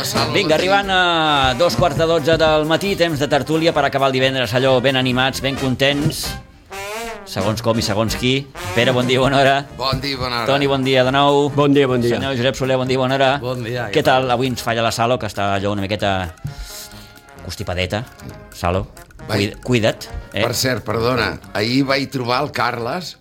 Salvo. Vinga, arribant a 2:45 del matí, temps de tertúlia per acabar el divendres allò ben animats, ben contents, segons com i segons qui. Pere, bon dia, bona hora. Bon dia, bona hora. Toni, bon dia de nou. Bon dia, bon dia. Senyor Josep Soler, bon dia, bona hora. Bon dia. Què tal? Avui ens falla la Salo, que està allò una miqueta constipadeta. Salo, cuida't. Per cert, perdona, ahir vaig trobar el Carles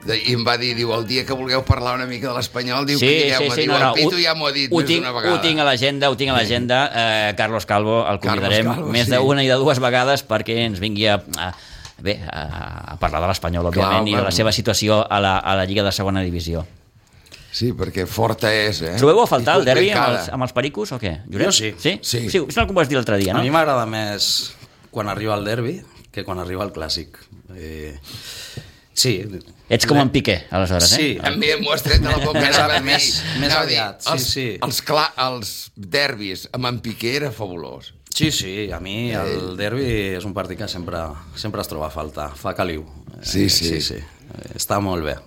i em va dir, diu, el dia que vulgueu parlar una mica de l'Espanyol, diu que digueu-me, diu, el Pitu ja m'ho ha dit més d'una vegada. Ho tinc a l'agenda, Carlos Calvo, el convidarem més d'una i de dues vegades perquè ens vingui a parlar de l'Espanyol, òbviament, i de la seva situació a la Lliga de Segona Divisió. Sí, perquè forta és, Trobeu a faltar el derbi amb els pericos o què? Jo sí. Sí? Sí, és el que m'ho vas dir l'altre dia, no? A mi m'agrada més quan arriba el derbi que quan arriba el clàssic. Sí. Ets com en Piqué, aleshores, Sí. També m'ho has tret de la boca. Més aviat, sí. Els derbis amb en Piqué era fabulós. Sí, a mi el derbi és un partit que sempre es troba a faltar, fa caliu. Sí. Està molt bé.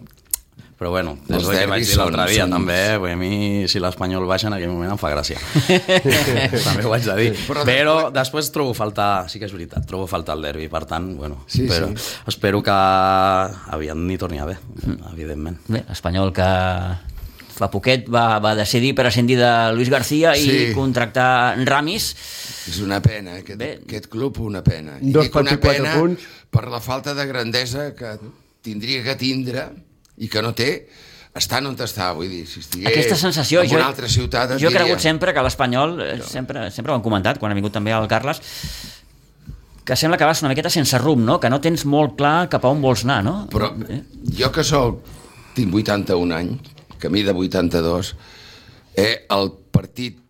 Però bueno, és Els el que vaig dir l'altre dia són... també, a mi si l'Espanyol baixa en aquell moment em fa gràcia. També ho haig de dir. Però després trobo faltar, sí que és veritat, trobo faltar el derbi, per tant, bueno, espero que aviat n'hi torni a haver, evidentment. Bé, l'Espanyol que fa poquet va decidir prescindir de Luis García i contractar Ramis. És una pena, aquest club, una pena. I dic una pena per la falta de grandesa que tindria que tindre i que no té, estant on està, vull dir, si estigués aquesta sensació, en una altra ciutat... Jo he cregut sempre que l'Espanyol, sempre ho han comentat, quan ha vingut també el Carles, que sembla que vas una miqueta sense rumb, no? Que no tens molt clar cap a on vols anar, no? Però jo que tinc 81 anys, camí de 82, el partit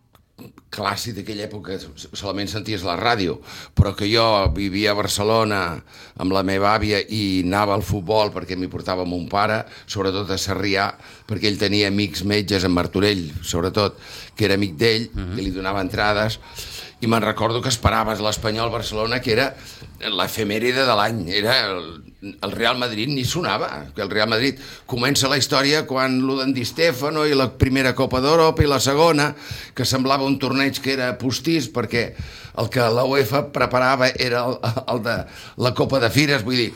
clàssic d'aquella època solament senties la ràdio, però que jo vivia a Barcelona amb la meva àvia i anava al futbol perquè m'hi portava mon pare, sobretot a Sarrià, perquè ell tenia amics metges en Martorell, sobretot, que era amic d'ell, i li donava entrades, i me'n recordo que esperaves l'Espanyol Barcelona, que era l'efemèride de l'any, era el Real Madrid ni sonava, que el Real Madrid comença la història quan l'Uden Di Stefano i la primera Copa d'Europa i la segona, que semblava un torneig que era postís perquè el que la UEFA preparava era el de la Copa de Fires, vull dir,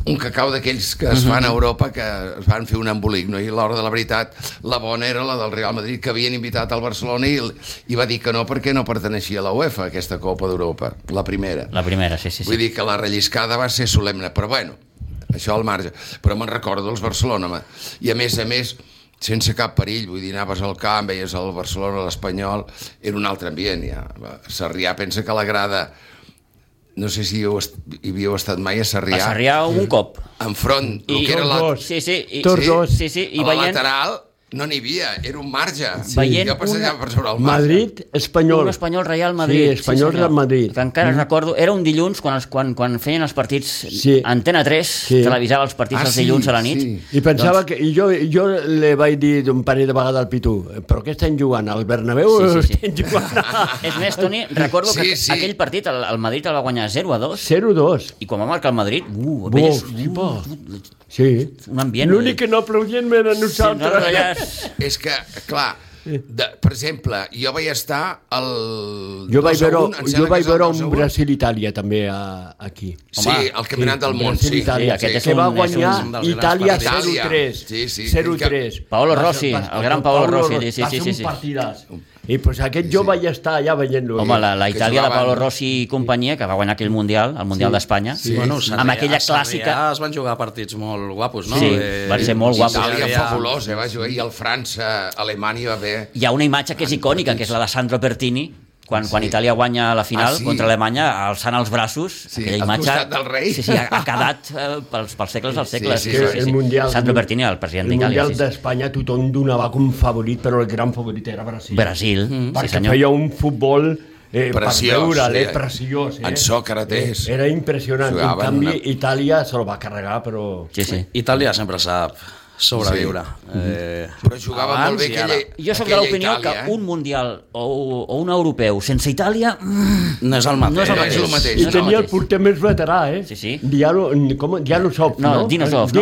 un cacau d'aquells que es fan a Europa que es van fer un embolic, no? I a l'hora de la veritat la bona era la del Real Madrid, que havien invitat al Barcelona i va dir que no perquè no perteneixia a la UEFA, aquesta Copa d'Europa, la primera. La primera, sí. Vull dir que la relliscada va ser solemne, però bueno, això al marge. Però me'n recordo els Barcelona, i a més, sense cap perill, vull dir, anaves al camp, veies el Barcelona, l'Espanyol, era un altre ambient, ja. Sarrià pensa que la grada... No sé si hi havíeu estat mai a Sarrià. A Sarrià un cop. Enfront, el que era la lateral, no n'hi havia, era un marge. Jo passejava per sobre el marge. Madrid, Espanyol. Un Espanyol Real Madrid. Sí, Espanyol Real Madrid. Que encara recordo, era un dilluns quan feien els partits, Antena 3 televisava els partits els dilluns a la nit. I pensava que jo li vaig dir un parell de vegades al Pitu, però què estem jugant? Al Bernabéu estem jugant? És més, Toni, recordo que aquell partit el Madrid el va guanyar 0-2. 0-2. I quan va marcar el Madrid, un ambient... L'únic que no aplaudien era nosaltres. És que, clar, per exemple, jo vaig estar jo vaig veure un Brasil-Itàlia també aquí. Sí, el campionat del món, sí. Que va guanyar Itàlia 0-3. 0-3. Paolo Rossi, el gran Paolo Rossi. Va ser un partidàs. I pues aquest jo vaig estar allà veient-lo. Home, la Itàlia de Paolo Rossi i companyia, que va guanyar aquell Mundial, el Mundial d'Espanya, amb aquella clàssica... Es van jugar partits molt guapos, no? Sí, van ser molt guapos. Itàlia fabulós, va jugar, i el França, Alemanya va bé. Hi ha una imatge que és icònica, que és la de Sandro Pertini, quan Itàlia guanya la final contra Alemanya, alçant els braços, aquella imatge... al costat del rei. Sí, ha quedat pels segles dels segles. Sandro Pertini, el president d'Itàlia. El Mundial d'Espanya tothom donava com favorit, però el gran favorit era Brasil. Perquè feia un futbol preciós. En Sòcrates. Era impressionant. En canvi, Itàlia se lo va carregar, però... Itàlia sempre sap sobreviure. Però jugava molt bé aquella Jo soc de l'opinió que un Mundial o un europeu sense Itàlia no és el mateix. I tenia el porter més veterà, Sí. Dianosov, no? Dinosov.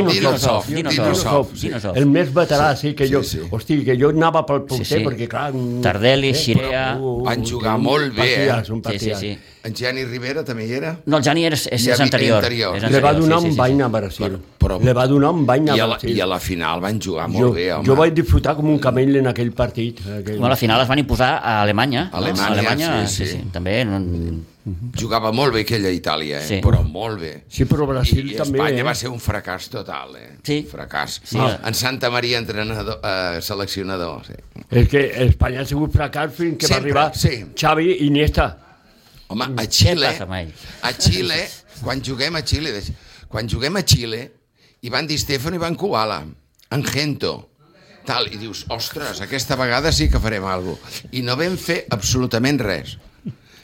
El més veterà, sí, que jo... Hosti, que jo anava pel porter, perquè clar... Tardelli, Xirea... Van jugar molt bé, Sí. En Gianni Rivera també hi era? No, el Gianni és anterior. Le va donar un bany a Brasil. Le va donar un bany a Brasil. I a la final van jugar molt bé, home. Jo vaig disfrutar com un camell en aquell partit. A la final es van imposar a Alemanya. Alemanya, sí. També... Jugava molt bé aquella Itàlia, però molt bé. Sí, però Brasil també... I Espanya va ser un fracàs total, Sí. Fracàs. En Santa Maria, seleccionador, sí. És que Espanya ha sigut fracàs fins que va arribar Xavi i Iniesta. Home, a Xile, quan juguem a Xile, Ivan Di Stefano i Ivan Kubala, en Gento, tal, i dius, ostres, aquesta vegada sí que farem alguna cosa. I no vam fer absolutament res.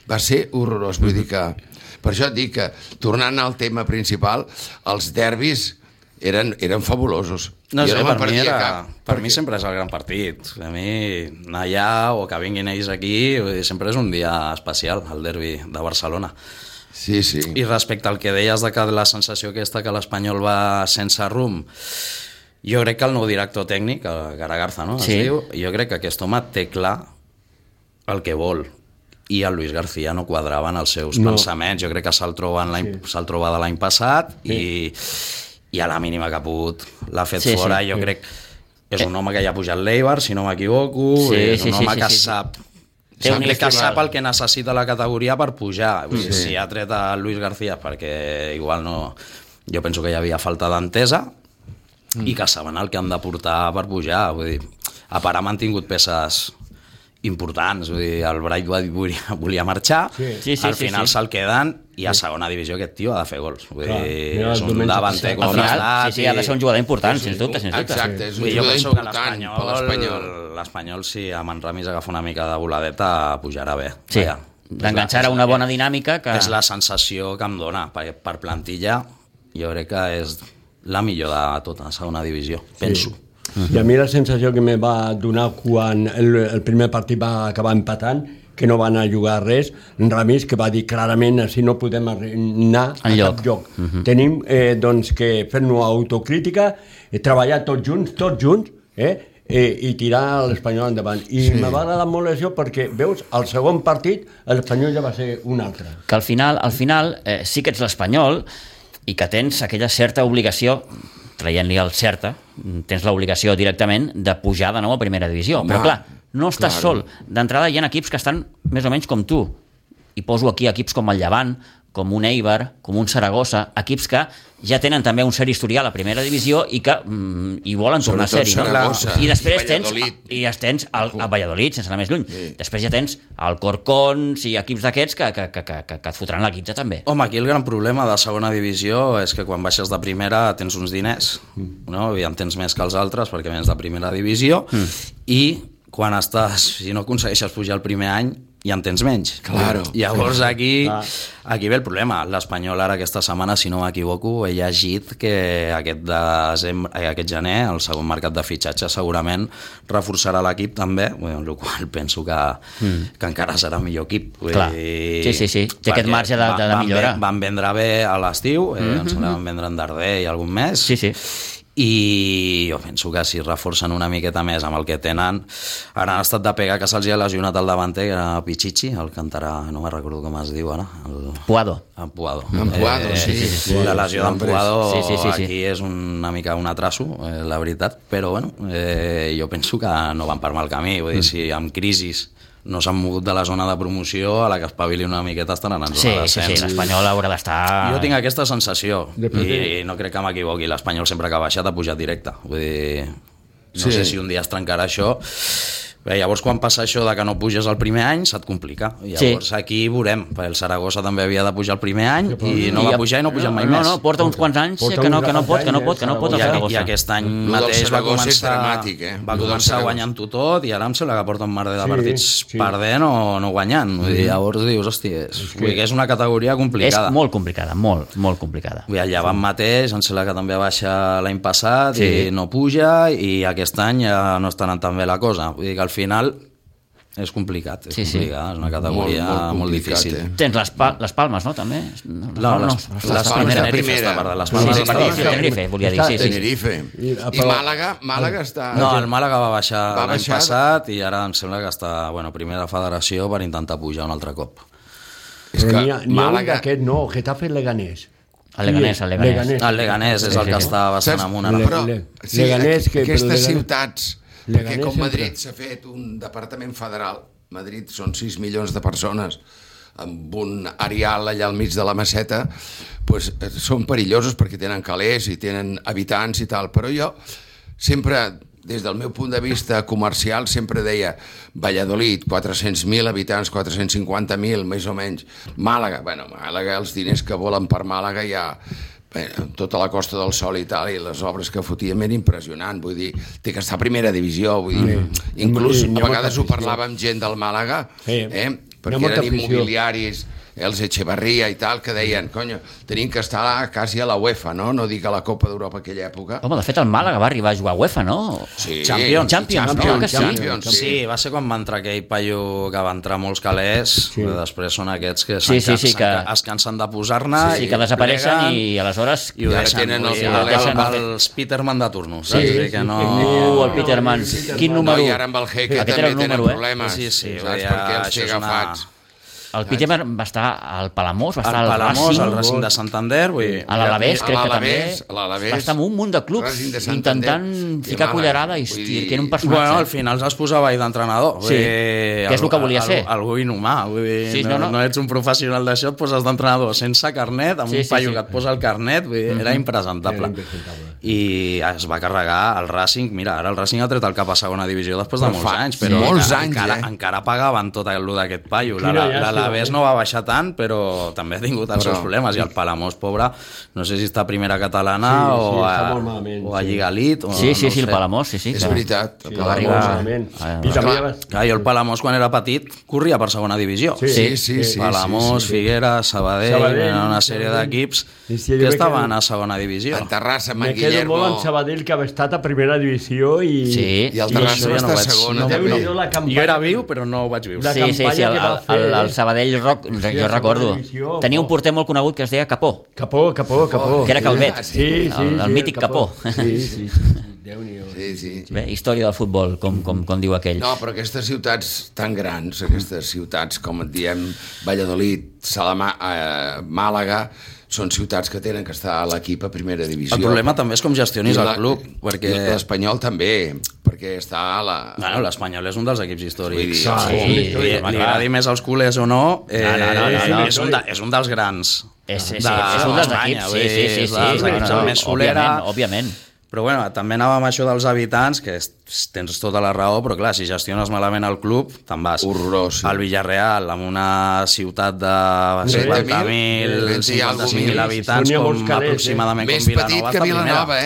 Va ser horrorós, vull dir que... Per això et dic que, tornant al tema principal, els derbis eren fabulosos. No sé, per mi sempre és el gran partit. A mi anar allà o que vinguin ells aquí sempre és un dia especial, el derbi de Barcelona. Sí. I respecte al que deies de que la sensació aquesta que l'Espanyol va sense rumb, jo crec que el nou director tècnic, el Garagarza, no? Jo crec que aquest home té clar el que vol, i el Luis García no quadrava en els seus pensaments. Jo crec que se'l troba de l'any passat i a la mínima que ha pogut l'ha fet fora. Jo crec que és un home que ja ha pujat l'Eibar, si no m'equivoco, és un home que sap el que necessita la categoria per pujar. Si ha tret a Luis García perquè igual no... Jo penso que hi havia falta d'entesa i que saben el que han de portar per pujar. Vull dir, a part ha mantingut peces importants, vull dir, el Bright volia marxar, al final se'l queden i a segona divisió aquest tio ha de fer gols, vull dir, és un davanter com l'estat. Sí, ha de ser un jugador important, sens dubte. Exacte, és un jugador important per l'Espanyol. L'Espanyol, si amb en Ramis agafa una mica de voladeta, pujarà bé. Sí, d'enganxar a una bona dinàmica. És la sensació que em dona, per plantilla, jo crec que és la millor de tota la segona divisió, penso. I a mi la sensació que me va donar quan el primer partit va acabar empatant, que no van a jugar res, Ramis, que va dir clarament així no podem anar a cap lloc. Tenim que fer-nos autocrítica, treballar tots junts, i tirar l'Espanyol endavant. I me va agradar molt això perquè, veus, al segon partit l'Espanyol ja va ser un altre. Que al final sí que ets l'Espanyol i que tens aquella certa obligació, traient-li el certa, tens l'obligació directament de pujar de nou a primera divisió. Però clar, no estàs sol. D'entrada hi ha equips que estan més o menys com tu. I poso aquí equips com el Llevant, com un Eibar, com un Saragossa, equips que ja tenen també un cert historial a primera divisió i que hi volen tornar a ser-hi. I després tens a Valladolid, sense anar més lluny. Després ja tens el Corcón, equips d'aquests que et fotran la quitza també. Home, aquí el gran problema de segona divisió és que quan baixes de primera tens uns diners, no? I en tens més que els altres perquè vens de primera divisió i quan si no aconsegueixes pujar el primer any i en tens menys. Claro. Llavors aquí ve el problema. L'Espanyol ara aquesta setmana, si no m'equivoco, he llegit que aquest gener el segon mercat de fitxatge segurament reforçarà l'equip també, el qual penso que encara serà millor equip. Clar. Sí. Té aquest marge de millora. Van vendre bé a l'estiu, em sembla que van vendre en Darder i algun mes. Sí. I jo penso que si reforcen una miqueta més amb el que tenen, ara han estat de pegar que se'ls ha lesionat el davanter, que era Pichichi, el cantarà, no me'n recordo com es diu ara. Puado, sí. La lesió d'en Puado aquí és una mica un atraso, la veritat, però bueno, jo penso que no van per mal camí, vull dir, si amb crisis no s'han mogut de la zona de promoció, a la que espavili una miqueta estaran en zona de descens. Sí, l'Espanyol haurà d'estar... Jo tinc aquesta sensació, i no crec que m'equivoqui, l'Espanyol sempre que ha baixat ha pujat directe. Vull dir, no sé si un dia es trencarà això, Llavors, quan passa això de que no puges el primer any, se't complica. Llavors, aquí veurem. El Saragossa també havia de pujar el primer any i no va pujar i no puja mai més. No, porta uns quants anys que no pot el Saragossa. I aquest any mateix va començar guanyant-ho tot i ara em sembla que porta un merder de partits perdent o no guanyant. Llavors dius, hòstia, és una categoria complicada. És molt complicada, molt complicada. El Llevant mateix, em sembla que també va baixar l'any passat i no puja, i aquest any ja no està anant tan bé la cosa. Vull dir que al final és complicat, és una categoria molt difícil. Tens les Palmes, no, també? Les Palmes de primera. Tenerife, volia dir. Tenerife. I Màlaga està... No, el Màlaga va baixar l'any passat i ara em sembla que està primera federació per intentar pujar un altre cop. Però n'hi ha un d'aquest, no, Getafe Leganés. El Leganés és el que està bastant amunt. Però aquestes ciutats... Perquè com Madrid s'ha fet un departament federal, Madrid són 6 milions de persones, amb un areal allà al mig de la Meseta, doncs són perillosos perquè tenen calés i tenen habitants i tal, però jo sempre, des del meu punt de vista comercial, sempre deia Valladolid, 400.000 habitants, 450.000, més o menys. Màlaga, els diners que volen per Màlaga ja... tota la Costa del Sol i tal, i les obres que fotien eren impressionant, vull dir, té que estar a primera divisió, vull dir, inclús a vegades ho parlava amb gent del Màlaga, perquè eren immobiliaris, els Echevarria i tal, que deien, conyo, tenim que estar quasi a la UEFA, no? No dic a la Copa d'Europa aquella època. Home, de fet el Màlaga va arribar a jugar a UEFA, no? Sí. Champions. Sí, va ser quan va entrar aquell paio que va entrar molts calés, després són aquests que es cansen de posar-ne i que desapareixen i aleshores i ho deixen. Els Peterman de turno. El Peterman. Quin número? I ara amb el Heque també tenen problemes. Sí, perquè els té agafats. El Peterman va estar al Palamós, va estar al Palamós, al Racing de Santander, a l'Alavés, crec que també. Va estar en un munt de clubs intentant ficar cullerada i que era un personatge. Bueno, al final es posava ahí d'entrenador. Sí, que és el que volia ser. Algú inhumà, no ets un professional d'això, et poses d'entrenador sense carnet, amb un paio que et posa el carnet, era impresentable. I es va carregar el Racing, mira, ara el Racing ha tret el cap a segona divisió després de molts anys, però encara pagaven tot el d'aquest paio. L'Alavés no va baixar tant, però també ha tingut els seus problemes, i el Palamós, pobre, no sé si està a primera catalana o a Lliga Elite. Sí, el Palamós, sí. És veritat. Jo el Palamós, quan era petit, corria per segona divisió. Sí. Palamós, Figueres, Sabadell, una sèrie d'equips que estaven a segona divisió. En Terrassa, me quedo molt amb Sabadell, que ha estat a primera divisió i el Terrassa va estar a segona. Jo era viu, però no ho vaig viure. Sí, el Sabadell Rock, jo recordo. Tenia un porter molt conegut que es deia Capó. Capó. Que era Calvet. El mític Capó. Sí. Bé, història del futbol, com diu aquell. No, però aquestes ciutats tan grans, aquestes ciutats, com et diem, Valladolid, Màlaga, són ciutats que tenen que estar a l'equip a primera divisió. El problema també és com gestionis el club, perquè... L'Espanyol també, perquè està a la... Bueno, l'Espanyol és un dels equips històrics. Li agradi més als culers o no, és un dels grans. És un dels equips, sí. El més solera. Òbviament. Però bueno, també anava amb això dels habitants, que tens tota la raó, però clar, si gestiones malament el club, te'n vas. Horrorós. Al Villarreal, amb una ciutat de 50.000, 55.000 habitants, com aproximadament com Vilanova. Més petit que Vilanova,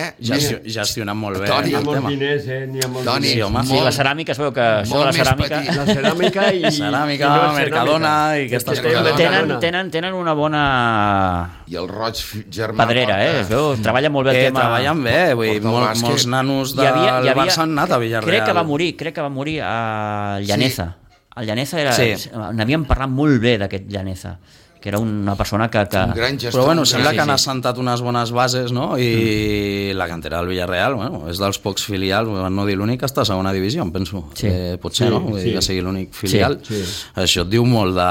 Gestionen molt bé. N'hi ha molts diners, n'hi ha molts diners. Sí, la ceràmica, es veu que això de la ceràmica... La ceràmica i... Ceràmica, Mercadona i aquestes coses. Tenen una bona... I el Roig germà... Pedrera, es veu, treballa molt bé el tema... Treballen bé, molts nanos del Barça han anat a Villarreal. Crec que va morir a Llaneza. El Llaneza n'havíem parlat molt bé d'aquest Llaneza, que era una persona que... Un gran gestor. Però bueno, sembla que han assentat unes bones bases, no? I la cantera del Villarreal, bueno, és dels pocs filials, no dir l'únic que està a segona divisió, em penso. Potser, no? Que sigui l'únic filial. Això et diu molt de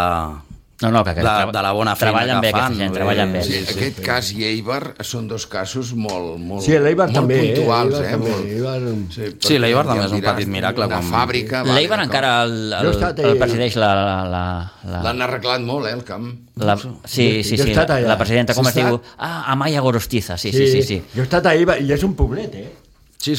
la bona feina que fan. Treballen bé. Aquest cas i Eibar són dos casos molt puntuals. Sí, l'Eibar també és un petit miracle. Una fàbrica... L'Eibar encara el presideix l'han arreglat molt, el camp. Sí, la presidenta, com es diu? Amaya Gorostiza, sí. Jo he estat a Eibar i és un poblet, Sí,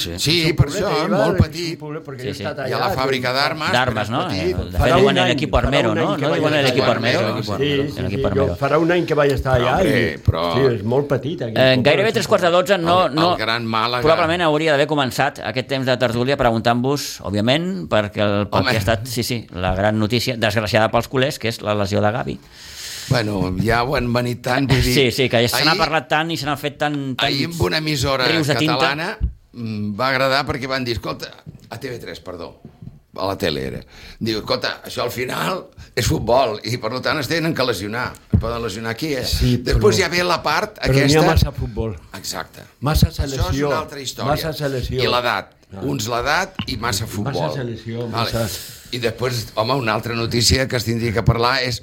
per això, molt petit. Hi ha la fàbrica d'armes, no? De fet, diuen l'equip armero, no? No diuen l'equip armero? Sí, farà un any que vaig estar allà i és molt petit. Gairebé 3:45 el Gran Màlaga. Probablement hauria d'haver començat aquest temps de tertúlia preguntant-vos, òbviament, perquè ha estat, la gran notícia, desgraciada pels culers, que és la lesió de Gavi. Bueno, ja ho han venit tant, vull dir... Sí, que se n'ha parlat tant i se n'ha fet tant... Ahir amb una emissora catalana va agradar perquè van dir, escolta, a TV3, perdó, a la tele era, diu, escolta, això al final és futbol i per tant es tenen que lesionar, es poden lesionar aquí, Sí, després ja ve la part aquesta... Però n'hi ha massa futbol. Exacte. Massa selecció. Això és una altra història. Massa selecció. I l'edat. Uns l'edat i massa futbol. Massa selecció, I després, home, una altra notícia que es tindria que parlar és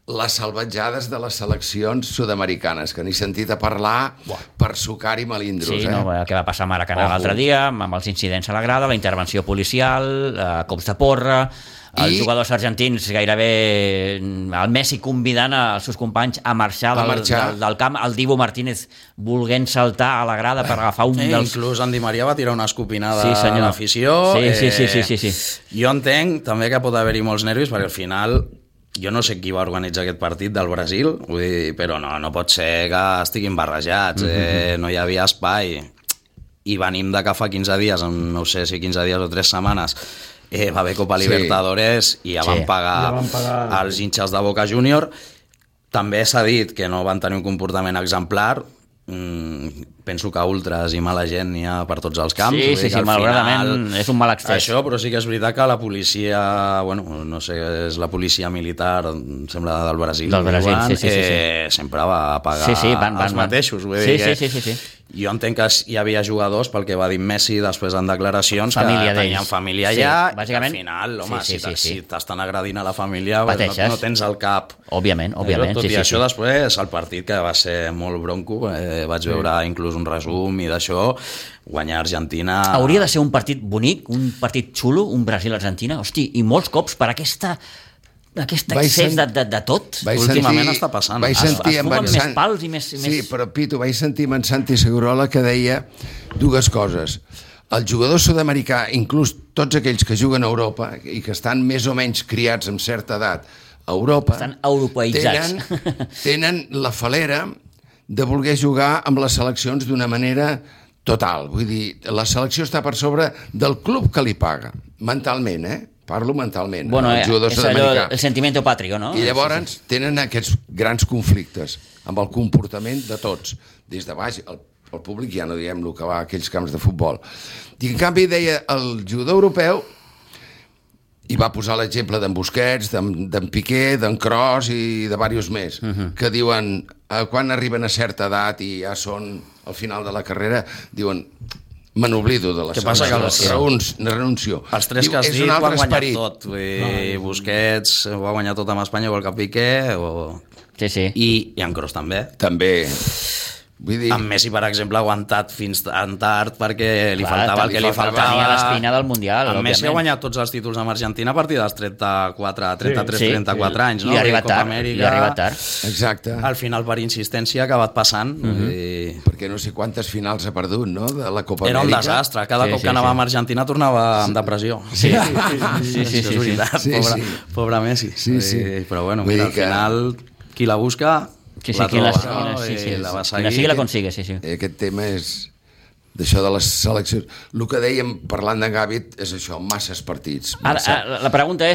les salvatjades de les seleccions sud-americanes, que n'he sentit a parlar per sucar i melindros. Sí, què va passar a Maracanà l'altre dia, amb els incidents a la grada, la intervenció policial, cops de porra, els jugadors argentins gairebé el Messi convidant els seus companys a marxar del camp, el Dibu Martínez volent saltar a la grada per agafar un dels... Inclús en Di Maria va tirar una escopinada a l'afició. Sí. Jo entenc també que pot haver-hi molts nervis perquè al final... Jo no sé qui va organitzar aquest partit del Brasil, vull dir, però no pot ser que estiguin barrejats, no hi havia espai. I venim de que fa 15 dies, no sé si 15 dies o 3 setmanes, va haver Copa Libertadores i ja van pagar els hinchas de Boca Junior. També s'ha dit que no van tenir un comportament exemplar. Penso que ultras i mala gent n'hi ha per tots els camps. Sí, malauradament és un mal excés. Això, però sí que és veritat que la policia, bueno, no sé, és la policia militar, em sembla del Brasil, sempre va pagar els mateixos. Sí. Jo entenc que hi havia jugadors, pel que va dir Messi després en declaracions, que tenien família allà, i al final, home, si t'estan agredint a la família, no tens el cap. Òbviament. Tot i això, després, el partit, que va ser molt bronco, vaig veure inclús un resum i d'això, guanyar Argentina... Hauria de ser un partit bonic, un partit xulo, un Brasil-Argentina, hosti, i molts cops per aquest excés de tot. Últimament està passant. Vaig sentir amb més pals i més... Sí, però Pitu, vaig sentir amb en Santi Segurola que deia dues coses. El jugador sud-americà, inclús tots aquells que juguen a Europa i que estan més o menys criats amb certa edat a Europa, estan europeïtzats. Tenen la falera de voler jugar amb les seleccions d'una manera total. Vull dir, la selecció està per sobre del club que li paga, mentalment, Parlo mentalment. Bueno, és allò, el sentimiento patrio, no? I llavors tenen aquests grans conflictes amb el comportament de tots, des de baix, el públic ja no diem el que va a aquells camps de futbol. I en canvi deia el jugador europeu, i va posar l'exemple d'en Busquets, d'en Piqué, d'en Kroos i de diversos més, que diuen, quan arriben a certa edat i ja són al final de la carrera, diuen... Me n'oblido de les raons, renuncio. Els tres que has dit ho han guanyat tot. Busquets ho ha guanyat tot amb Espanya, igual que Piqué. Sí. I en Kroos també. També. Vull dir... Amb Messi, per exemple, ha aguantat fins tan tard perquè li faltava el que li faltava. Tenia l'espina del Mundial, òbviament. Messi ha guanyat tots els títols amb Argentina a partir dels 33-34 anys, no? I ha arribat tard. Exacte. Al final, per insistència, ha acabat passant. Perquè no sé quantes finals ha perdut, no?, de la Copa Amèrica. Era un desastre. Cada cop que anava amb Argentina tornava amb depressió. Sí. És veritat. Pobre Messi. Però bueno, mira, al final, qui la busca... la troba, la va seguir. La sigui la consigue, sí. Aquest tema és d'això de les seleccions. El que dèiem parlant de Gavi és això, masses partits. La pregunta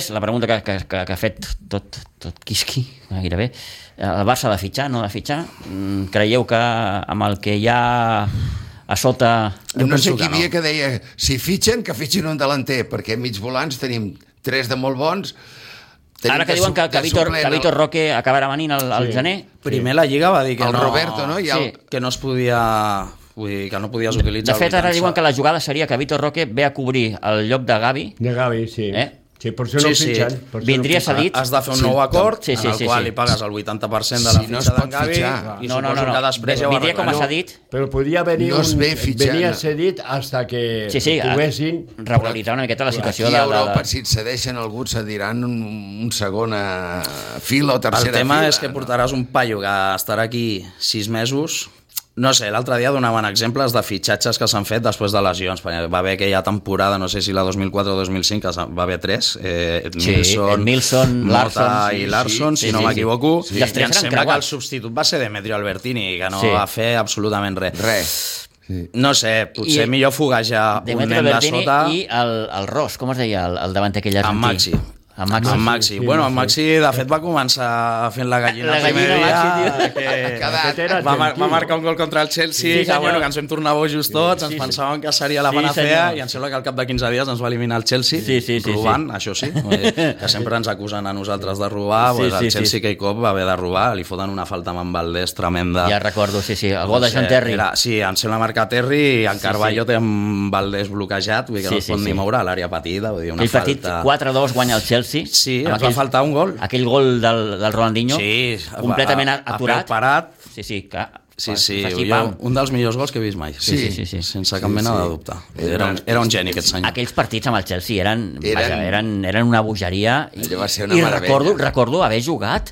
que ha fet tot Quisqui, gairebé, el Barça ha de fitxar, no ha de fitxar? Creieu que amb el que hi ha a sota... No sé qui havia que deia, si fitxen, que fitxin un delanter, perquè mig volants tenim 3 de molt bons. Ara que diuen que Vitor Roque acabarà venint al gener. Primer la Lliga va dir que el Roberto, no? Que no es podia... Vull dir, que no podies utilitzar... De fet, ara diuen que la jugada seria que Vitor Roque ve a cobrir el lloc de Gavi. De Gavi, sí. Sí, per això no fitxen. Vindria cedit. Has de fer un nou acord en el qual li pagues el 80% de la fitxa d'en Gavi i suposo que després ja ho vindria com a cedit. Però podia venir venia cedit hasta que poguessin regularitzar una miqueta la situació. Aquí a Europa, si et cedeixen algú, et cediran un segona fila o tercera fila. El tema és que portaràs un paio que estarà aquí 6 mesos No sé, l'altre dia donaven exemples de fitxatges que s'han fet després de lesions. Va haver aquella temporada, no sé si la 2004 o 2005, que va haver 3. Milson, Mota i Larsson, si no m'equivoco. I em sembla que el substitut va ser Demetrio Albertini, que no va fer absolutament res. No sé, potser millor foguejar un nen de sota. I el Ross, com es deia, el davanter aquell argentí? En Maxi. Bueno, en Maxi, de fet, va començar fent la gallina el primer dia. Va marcar un gol contra el Chelsea, que ens vam tornar bojos tots, ens pensàvem que seria la panacea, i em sembla que al cap de 15 dies ens va eliminar el Chelsea, robant, això sí, que sempre ens acusen a nosaltres de robar, el Chelsea aquell cop va haver de robar, li foten una falta amb en Valdés tremenda. Ja recordo, el gol de John Terry. Sí, em sembla marcar Terry, i en Carballo té en Valdés bloquejat, vull dir que no es pot ni moure a l'àrea petita, vull dir, una falta. El partit 4-2 guanya el Chelsea. Sí, ens va faltar un gol. Aquell gol del Ronaldinho, completament aturat. Parat. Sí, clar. Sí, un dels millors gols que he vist mai. Sí. Sense cap mena de dubte. Era un geni aquest senyor. Aquells partits amb el Chelsea eren una bogeria. Allò va ser una meravella. I recordo haver jugat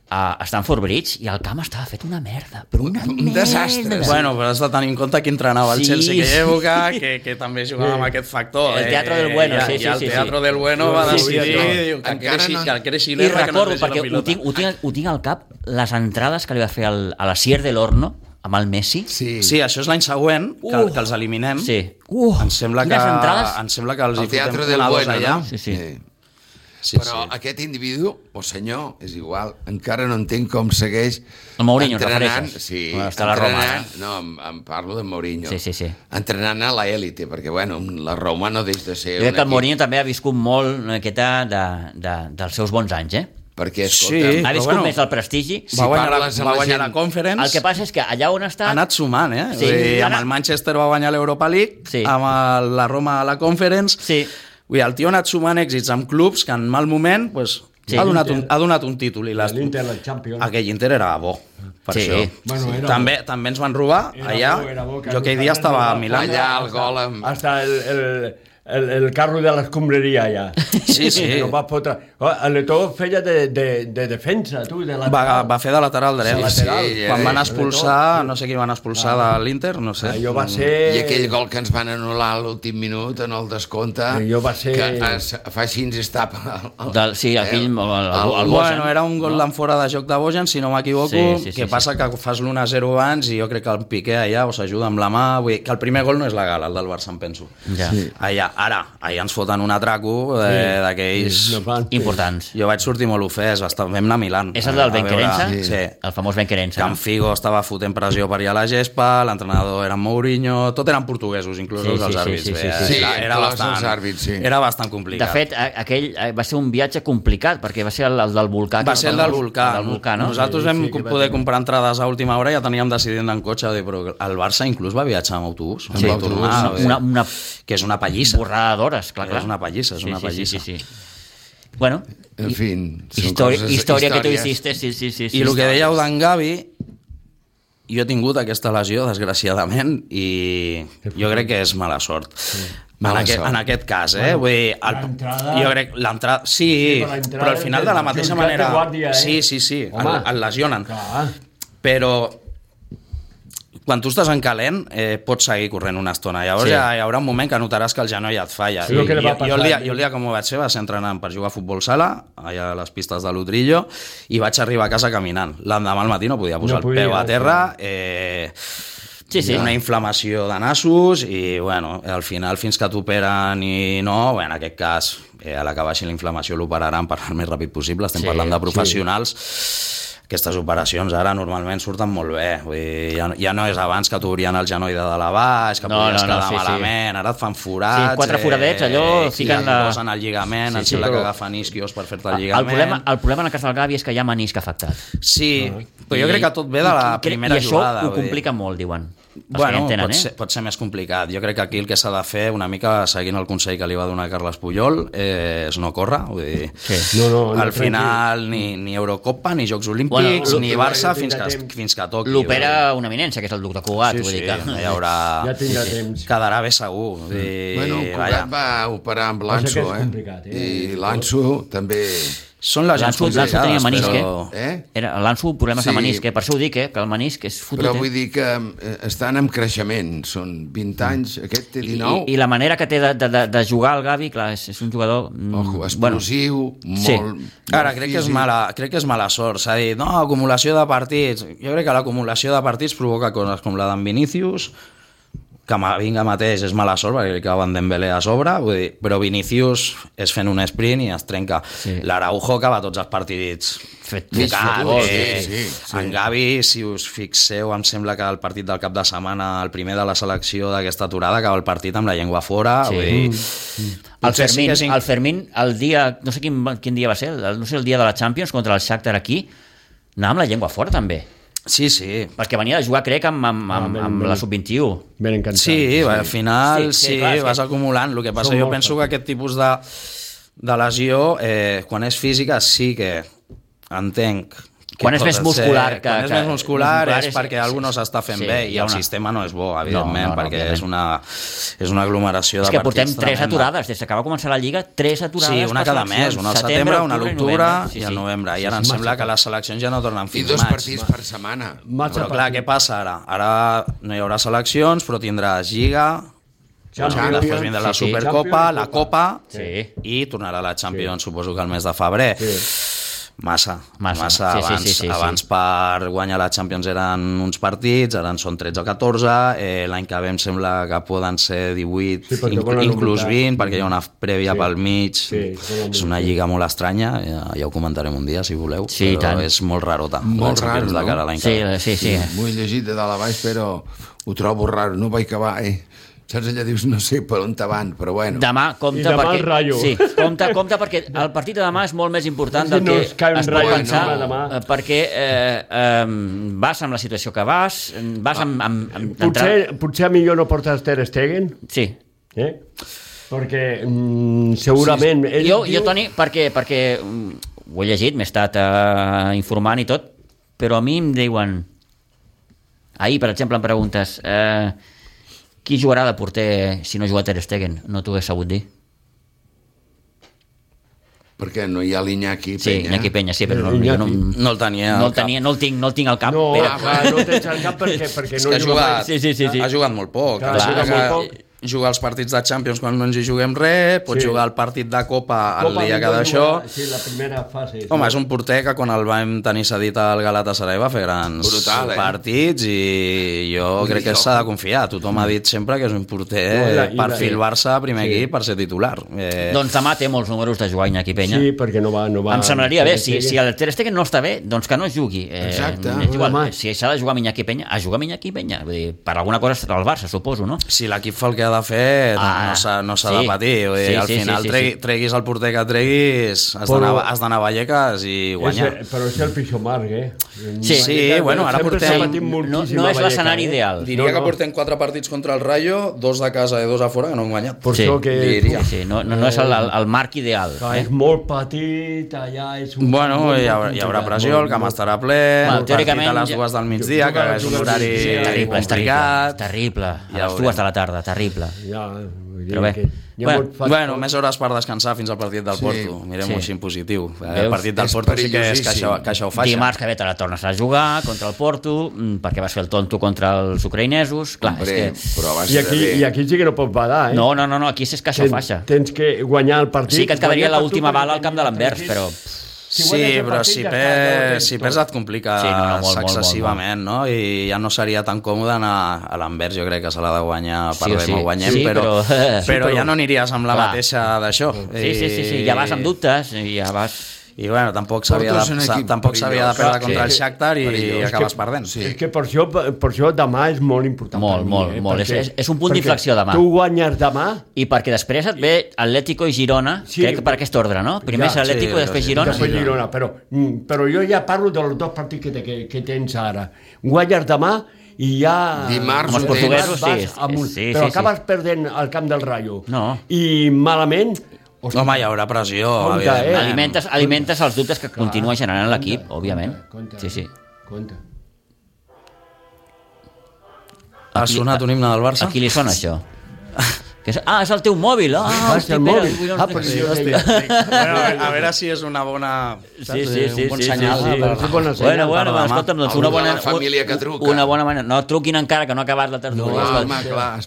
a Stamford Bridge i el camp estava fet una merda, però un desastre. Bueno, però has de tenir en compte qui entrenava el Chelsea aquella època, que també jugava amb aquest factor. El Teatro del Bueno, I el Teatro del Bueno va decidir que creixi l'herba. I recordo, perquè ho tinc al cap, les entrades que li va fer a la Sier de l'Horno amb el Messi. Sí, això és l'any següent, que els eliminem. Em sembla que els hi fotem una dos allà. Però aquest individu, o senyor, és igual, encara no entenc com segueix el Mourinho, entrenant. Està a la Roma. No, em parlo de Mourinho. Sí. Entrenant a l'élite, perquè, bueno, la Roma no deix de ser... Jo crec que el Mourinho també ha viscut molt una miqueta dels seus bons anys, perquè, escolta... Ha viscut més el prestigi. Va guanyar la Conference. El que passa és que allà on està... Ha anat sumant, amb el Manchester va guanyar l'Europa League, amb la Roma a la Conference... El tio ha anat sumant èxits amb clubs que en mal moment ha donat un títol. L'Inter, el Champions. Aquell Inter era bo, per això. També ens van robar allà. Jo aquell dia estava a Milà. Allà el gol amb... Hasta el carro de l'escombraria allà. Sí. No va fotre... L'Etó feia de defensa, tu, de lateral. Va fer de lateral dret. Quan van expulsar, no sé qui van expulsar de l'Inter, no sé. Allò va ser... I aquell gol que ens van anul·lar a l'últim minut, en el descompte, allò va ser... que fa així ens estapa... Sí, aquell... Bueno, era un gol d'en fora de joc de Bojan, si no m'equivoco, que passa que fas l'1-0 abans i jo crec que el Piqué allà s'ajuda amb la mà, vull dir que el primer gol no és legal, el del Barça, em penso. Allà ens foten un atraco d'aquells importants. Jo vaig sortir molt ofès, vam anar a Milán. És el del Benquerença? Sí. El famós Benquerença. Que en Figo estava fotent pressió per allà a la gespa, l'entrenador era Mourinho, tot eren portuguesos, inclús els àrbits. Era bastant complicat. De fet, aquell va ser un viatge complicat, perquè va ser el del volcà. Va ser el del volcà. Nosaltres vam poder comprar entrades a última hora i ja teníem decidit anar en cotxe, però el Barça inclús va viatjar amb autobús. Que és una pallissa. Borrada d'hores, clar. És una pallissa, Sí. Bueno, en fi, història que tu hiciste, sí. I el que dèieu d'en Gavi, jo he tingut aquesta lesió, desgraciadament, i jo crec que és mala sort. En aquest cas, vull dir, jo crec l'entrada, sí, però al final de la mateixa manera, sí, el lesionen, però quan tu estàs en calent pots seguir corrent una estona, llavors hi haurà un moment que notaràs que el genoll et falla. Jo el dia com ho vaig fer va ser entrenant per jugar a futbol sala allà a les pistes de l'Utrillo i vaig arribar a casa caminant. L'endemà al matí no podia posar el peu a terra, una inflamació de nassos i al final fins que t'operen i no, en aquest cas a la que baixi la inflamació l'operaran per el més ràpid possible, estem parlant de professionals. Aquestes operacions ara normalment surten molt bé. Vull dir, ja no és abans que t'obrien el genoll de dalt a baix, que podies quedar malament, ara et fan forats... 4 foradets, allò... Fiquen posen el lligament, em sembla que agafen isquios per fer-te el lligament... El problema en el cas del Gavi és que hi ha menisc afectat. Sí, però jo crec que tot ve de la primera jugada. I això ho complica molt, diuen. Pot ser més complicat. Jo crec que aquí el que s'ha de fer, una mica seguint el consell que li va donar Carles Puyol, és no córrer. Vull dir, al final ni Eurocopa, ni Jocs Olímpics, ni Barça, fins que toqui. L'opera una eminència, que és el duc de Cugat. Hi haurà... Quedarà bé segur. Cugat va operar amb l'Anso, i l'Anso també... Són les gens complicades, tenia menisc, però... L'Ansu, problemes de menisc, per això ho dic, que el menisc és fotut. Però vull dir que estan en creixement, són 20 anys, aquest té 19. I la manera que té de jugar el Gavi, clar, és un jugador... explosiu, molt... Ara, crec que és mala sort, s'ha dit, no, acumulació de partits. Jo crec que l'acumulació de partits provoca coses com la d'en Vinícius, que vinga mateix és mala sort perquè li acaben Dembélé a sobre, vull dir, però Vinícius és fent un sprint i es trenca. L'Araujo acaba tots els partits tocat. En Gavi, si us fixeu, em sembla que el partit del cap de setmana, el primer de la selecció d'aquesta aturada, acaba el partit amb la llengua fora. Vull dir, el Fermín, el dia, no sé quin dia va ser, no sé, el dia de la Champions contra el Shakhtar aquí, anava amb la llengua fora també. Sí. Perquè venia de jugar, crec, amb la sub-21. Ben encantat. Sí, al final vas acumulant. El que passa, jo penso que aquest tipus de lesió, quan és física, sí que entenc. Quan és més muscular. Quan és més muscular és perquè algú no s'està fent bé i el sistema no és bo, evidentment, perquè és una aglomeració de partits. És que portem 3 aturades, des que va començar la Lliga, 3 aturades. Sí, una cada mes, una al setembre, una a l'octubre i al novembre. I ara em sembla que les seleccions ja no tornen fins maig. I 2 partits per setmana. Però clar, què passa ara? Ara no hi haurà seleccions, però tindràs Lliga, després vindrà la Supercopa, la Copa i tornarà la Champions, suposo que al mes de febrer. Massa. Abans per guanyar la Champions eren uns partits, ara en són 13 o 14, l'any que ve em sembla que poden ser 18, inclús 20, perquè hi ha una prèvia pel mig. És una lliga molt estranya, ja ho comentarem un dia si voleu, però és molt rarota. Molt raro, no? Sí. M'ho he llegit de dalt a baix, però ho trobo raro, no vaig acabar, Saps, allà dius, no sé per on te van, però bueno. Demà, compte perquè el partit de demà és molt més important del que es pot pensar, perquè vas amb la situació que vas potser millor no portes Ter Stegen? Sí. Perquè segurament... Jo, Toni, perquè ho he llegit, m'he estat informant i tot, però a mi em diuen... Ahir, per exemple, em preguntes... Qui jugarà de porter si no juga Ter Stegen? No t'ho hagués sabut dir. Perquè no hi ha l'Iñaki Peña. Sí, Iñaki Peña, sí, però no el tenia. No el tinc al cap. No el tens al cap perquè no ha jugat molt poc. Jugar els partits de Champions quan no ens hi juguem res, pots jugar el partit de Copa el dia que d'això. Sí, la primera fase. Home, és un porter que quan el vam tenir cedit al Galatasaray va fer grans partits i jo crec que s'ha de confiar. Tothom ha dit sempre que és un porter per fil-Barça a primer equip per ser titular. Doncs demà té molts números de jugar Iñaki Peña. Sí, perquè no va... Em semblaria bé, si el Ter Stegen no està bé, doncs que no jugui. Exacte. Si s'ha de jugar amb Iñaki Peña, a jugar amb Iñaki Peña. Per alguna cosa estarà al Barça, suposo, no? Si l'equip fa el que ha de fer no s'ha de patir. Al final treguis el porter que treguis, has d'anar a Vallecas i guanyar. Però és el pitjor marc, Sí, bueno, ara portem... No és l'escenari ideal. Diria que portem 4 partits contra el Rayo, 2 de casa i 2 a fora, que no hem guanyat. Sí, no és el marc ideal. És molt petit, allà és un... Bueno, hi haurà pressió, el camp estarà ple, el partit a les 2 del migdia, que és un horari complicat. Terrible, a les 2 de la tarda, terrible. Però bé, bueno, més hores per descansar fins al partit del Porto. Mirem-ho així en positiu. El partit del Porto sí que és caixa o faixa. Dimarts que ve te la tornes a jugar contra el Porto, perquè vas fer el tonto contra els ucraïnesos. I aquí sí que no pots badar, No, aquí és caixa o faixa. Tens que guanyar el partit. Sí que et quedaria l'última bala al camp de l'Anvers, però... Sí, però si perds et complica excessivament, no? I ja no seria tan còmode anar a l'Anvers, jo crec que se l'ha de guanyar, perdem o guanyem, però ja no aniries amb la mateixa d'això. Sí, ja vas amb dubtes, ja vas... I bueno, tampoc s'havia de perdre contra el Shakhtar i acabes perdent. És que per això demà és molt important. Molt. És un punt d'inflexió demà. Tu guanyes demà... I perquè després et ve Atlético i Girona, crec que per aquest ordre, no? Primer és Atlético i després Girona. Però jo ja parlo dels 2 partits que tens ara. Guanyes demà i ja... Dimarts els portuguesos, però acabes perdent al camp del Rayo. I malament... Home, hi haurà pressió, alimentes els dubtes que continua generant l'equip, òbviament. Sí. Ha sonat un himne del Barça? A qui li sona això? És el teu mòbil. És el mòbil. A veure si és una bona... un bon senyal. Bueno, escolta'm, doncs una bona... família que truca. Una bona manera. No truquin encara, que no ha acabat la tertúlia.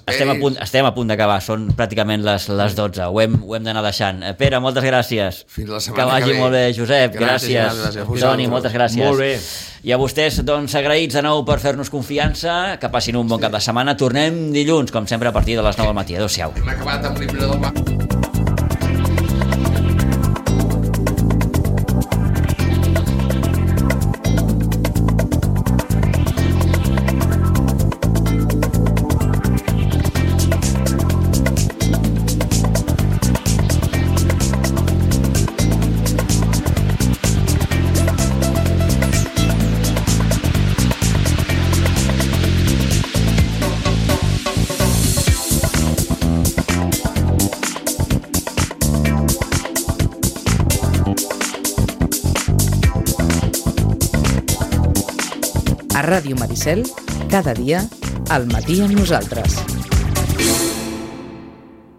Estem a punt d'acabar, són pràcticament les 12. Ho hem d'anar deixant. Pere, moltes gràcies. Fins la setmana que vagi molt bé. Josep, gràcies. Toni, moltes gràcies. Molt bé. I a vostès, doncs, agraïts de nou per fer-nos confiança, que passin un bon cap de setmana. Tornem dilluns, com sempre, a partir de les 9 del matí. Adéu-siau. Hem acabat amb l'himne del mar. A Ràdio Maricel, cada dia, al matí amb nosaltres.